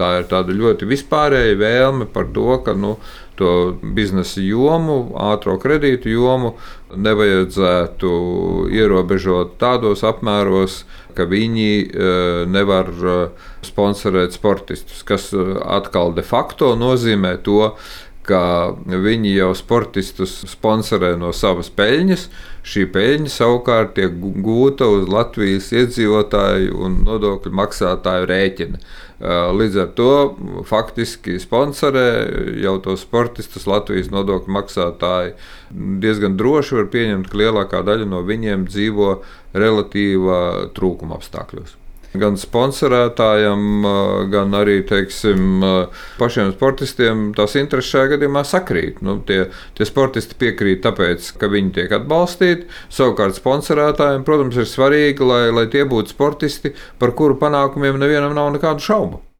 Tā ir tāda ļoti vispārēja vēlme par to, ka to biznesa jomu, ātro kredītu jomu nevajadzētu ierobežot tādos apmēros, ka viņi nevar sponsorēt sportistus, kas atkal de facto nozīmē to, ka viņi jau sportistus sponsorē no savas peļņas. Šī peļņa savukārt tiek gūta uz Latvijas iedzīvotāju un nodokļu maksātāju rēķina. Līdz ar to faktiski sponsorē jau tos sportistus Latvijas nodokļu maksātāji. Diezgan droši var pieņemt, ka lielākā daļa no viņiem dzīvo relatīva trūkuma apstākļos. Gan sponsorētājiem, gan arī pašiem sportistiem tās intereses šajā gadījumā sakrīt. Tie sportisti piekrīt tāpēc, ka viņi tiek atbalstīti. Savukārt sponsorētājiem, protams, ir svarīgi, lai tie būtu sportisti, par kuru panākumiem nevienam nav nekādu šaubu.